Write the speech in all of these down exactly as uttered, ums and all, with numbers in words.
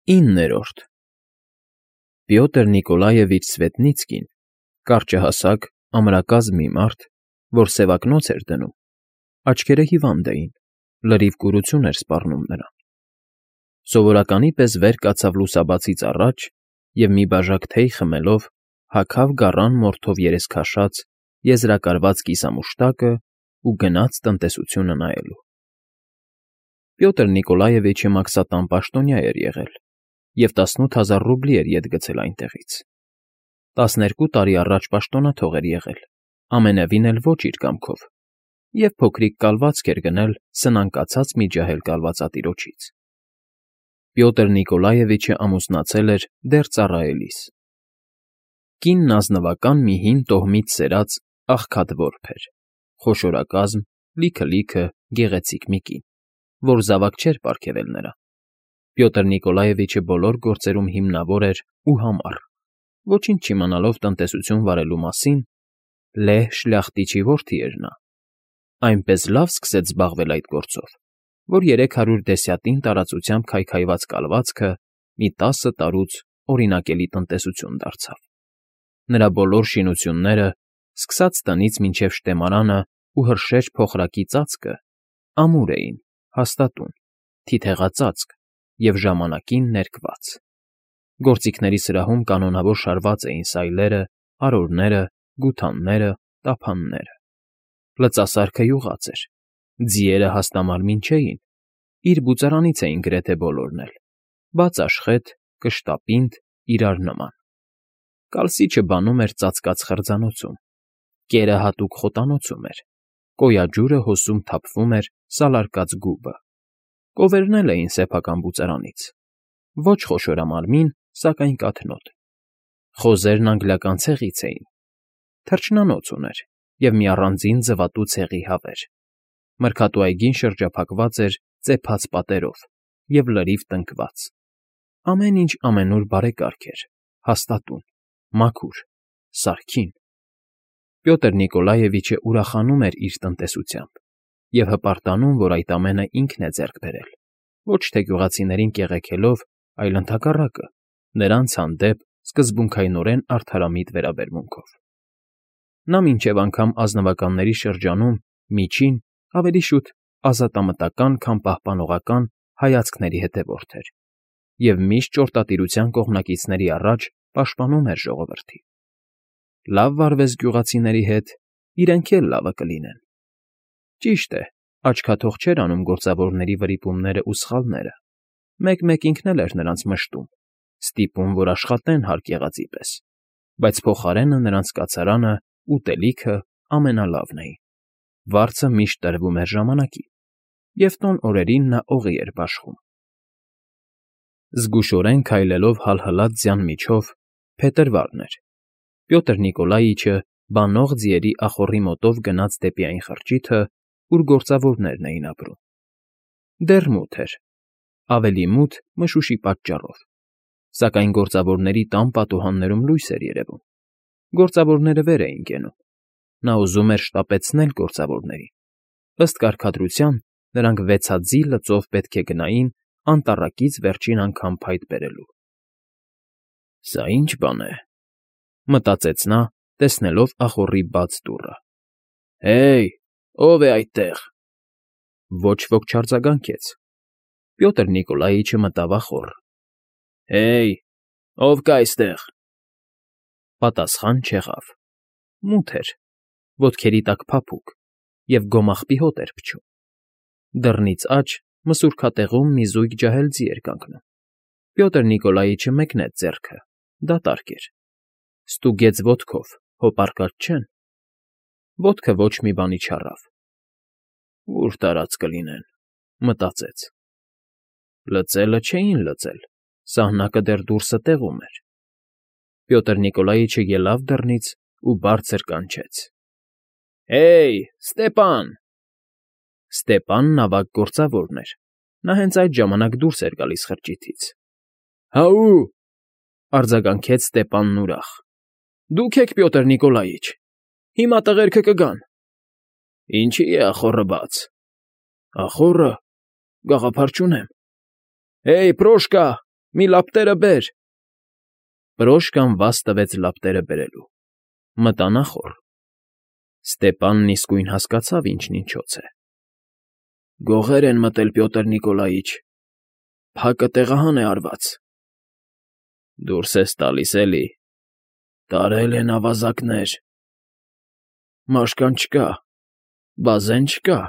Իններորդ Պյոտր Նիկոլաևիչ Սվետնիցկին, կարճահասակ, ամրակազմ մի մարդ, որ սևակնոց էր դնում, աչքերը հիվանդ էին, լրիվ կուրություն էր սպառնում նրան. սովորականի պես վեր կացավ լուսաբացից առաջ և մի բաժակ թեյ խմելով հագավ գառան մորթով երեսքաշած եզրակարված կիսամուշտակը ու գնաց տնտեսությունը նայելու։ Պյոտր Նիկոլաևիչը մաքսատան պաշտոնյա էր եղել և տասնութ հազար ռուբլի էր ետ գցել այնտեղից։ Տասներկու տարի առաջ պաշտոնաթող էր եղել, ամենևին էլ ոչ իր կամքով, և փոքրիկ կալվածք էր գնել սնանկացած մի ջահել կալվածատիրոջից։ Պյոտր Նիկոլաևիչը ամուսնացել էր դեռ ծառայելիս։ Կինն ազնվական մի հին տոհմից սերած աղքատ որբ էր, խոշորակազմ, լիքը֊լիքը գեղեցիկ մի կին, որ զավակ չէր պարգևել նրան։ Պյոտր Նիկոլաևիչը բոլոր գործերում հիմնավոր էր ու համառ, ոչինչ չիմանալով տնտեսություն վարելու մասին, լեհ շլյախտիչի որդի էր նա, այնպես լավ սկսեց զբաղվել այդ գործով, որ երեք հարյուր դեսյատին տարածությամբ քայքայված կալվածքը մի տասը տարուց օրինակելի տնտեսություն դարձավ։ Նրա բոլոր շինությունները, սկսած տնից մինչև շտեմարանը ու հրշեջ փոխրակի ծածկը, ամուր էին, հաստատուն, թիթեղածածկ և ժամանակին ներկված։ Գործիքների սրահում կանոնավոր շարված էին սայլերը, արորները, գութանները, տափանները։ Լծասարքը յուղած էր, ձիերը հաստամարմին չէին, իր բուծարանից էին գրեթե բոլորն էլ, բաց աշխեթ, կշտապինդ, իրար նման։ Կալսիչը բանում էր ծածկած խրձանոցում, կերը հատուկ խոտանոցում էր, կոյաջուրը հոսում թափվում էր սալարկած գուբը։ Կովերն էլ էին սեփական բուծարանից, ոչ խոշորամարմին, սակայն կաթնոտ։ Խոզերն անգլիական ցեղից էին, թռչնանոց ուներ և մի առանձին ձվատու ցեղի հավեր։ Մրգատու այգին շրջափակված էր ծեփած պատերով և լրիվ տնկված։ Ամեն ինչ ամենուր բարեկարգ էր, հաստատուն, մաքուր, սարքին։ Պյոտր Նիկոլաևիչը ուրախանում էր իր տնտեսությամբ և հպարտանում, որ այդ ամենը ինքն է ձեռք բերել, ոչ թե գյուղացիներին կեղեքելով, այլ ընդհակառակը, նրանց հանդեպ սկզբունքայնորեն արդարամիտ վերաբերմունքով։ Նա մինչև անգամ ազնվականների շրջանում միջին, ավելի շուտ ազատամտական, քան պահպանողական հայացքների հետևորդ էր և միշտ ճորտատիրության կողմնակիցների առաջ պաշտպանում էր ժողովրդին։ Լավ վարվես գյուղացիների հետ, իրենք էլ լավը կլինեն։ Ճիշտ է, աչքաթող չէր անում գործավորների վրիպումներն ու սխալները, մեկ֊մեկ ինքն էլ էր նրանց մշտում, ստիպում, որ աշխատեն հարկ եղածի պես, բայց փոխարենը նրանց կացարանը, ուտելիքը ամենալավն էին, վարձը միշտ տրվում էր ժամանակին, և տոն օրերին նա օղի էր բաշխում։ Զգուշորեն քայլելով հալհլած ձյան միջով, փետրվարն էր, Պյոտր Նիկոլաիչը բանող ձիերի ախոռի մոտով գնաց դեպի այն խրճիթը, ուր գործավորներն էին ապրում։ Դեռ մութ էր, ավելի մութ մշուշի պատճառով, սակայն գործավորների տան պատուհաններում լույս էր երևում։ Գործավորները վեր էին կենում։ Նա ուզում էր շտապեցնել գործավորներին։ Ըստ կարգադրության, նրանք վեցաձիգ լծով պետք է գնային անտառակից վերջին անգամ փայտ բերելու։ «Սա ի՞նչ բան է,֊ մտածեց նա, տեսնելով ախոռի բաց դուռը։ Հե՜յ, ո՞վ է այդտեղ»։ Ոչ ոք չարձագանքեց։ Պյոտր Նիկոլաիչը մտավ ախոռ։ «Հե՜յ, ո՞վ կա այստեղ»։ Պատասխան չեղավ։ Մութ էր, ոտքերի տակ փափուկ և գոմաղբի հոտ էր փչում։ Դռնից աջ մսուրքատեղում մի զույգ ջահել ձի էր կանգնում։ Պյոտր Նիկոլաիչը մեկնեց ձեռքը, դատարկ էր։ Ստուգեց ոտքով, հոպարկած չեն։ Ոտքը ոչ մի բանի չառավ։ «Ո՞ւր տարած կլինեն,֊ մտածեց։ Լծելը չէին լծել, սահնակը դեռ դուրսը տեղում էր։ Պյոտր Նիկոլաիչը ելավ դռնից ու բարձր կանչեց. «Հե՜յ, Ստեպան»։ Ստեպանն ավագ գործավորն էր, նա հենց այդ ժամանակ դուրս էր գալիս խրճիթից։ «Հա՛ու,֊ արձագանքեց Ստեպանն ուրախ,֊ դուք եք Պյոտր Նիկոլաիչ, հիմա տղերքը կգան»։ «Ինչի՞ է ախոռը բաց»։ «Ախոռը… գաղափար չունեմ»։ «Հե՜յ, Պրոշկա, Մի լապտերը բեր։ Պրոշկան վազ տվեց լապտերը բերելու։ Մտան ախոռ։ Ստեպանն իսկույն հասկացավ ինչն ինչոց է։ Գողեր են մտել, Պյոտր Նիկոլաիչ, փակը տեղահան է արված։ Դուրս ես տալիս, էլի, տարել են ավազակներ։ Մաշկան չկա, բազեն չկա,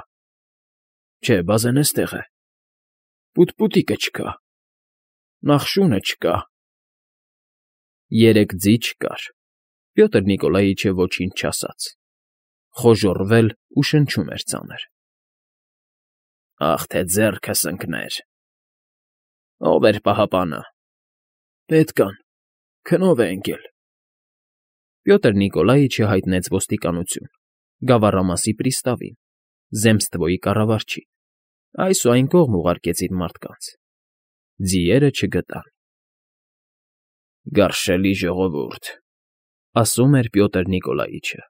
չէ, բազեն էստեղ է, պուտպուտիկը չկա, նախշունը չկա։ Երեք ձի չկար, Պյոտր Նիկոլաիչը ոչինչ չասաց, խոժոռվել ու շնչում էր ծանր։ Ախ թե ձեռքս ընկներ։ Ո՞վ էր պահապանը։ Պետքան, քնով է ընկել։ Պյոտր Նիկոլաիչը հայտնեց ոստիկանություն, գավառամասի պրիստավին, Զեմստվոյի կառավարչին, այս ու այն կողմ ուղարկեցին մարդկանց։ Ձիերը չգտան։ Գարշելի ժողովուրդ, ասում էր Պյոտր Նիկոլաիչը,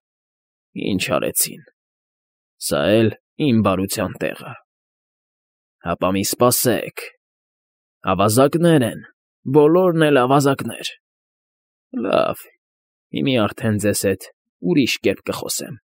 ինչ արեցին։ Սա էլ իմ բարության տեղը։ Հապա մի սպասեք, ավազակներ են, բոլորն էլ ավազակներ։ Լավ, հիմի արդեն ձեզ հետ ուրիշ կերպ կխոսեմ։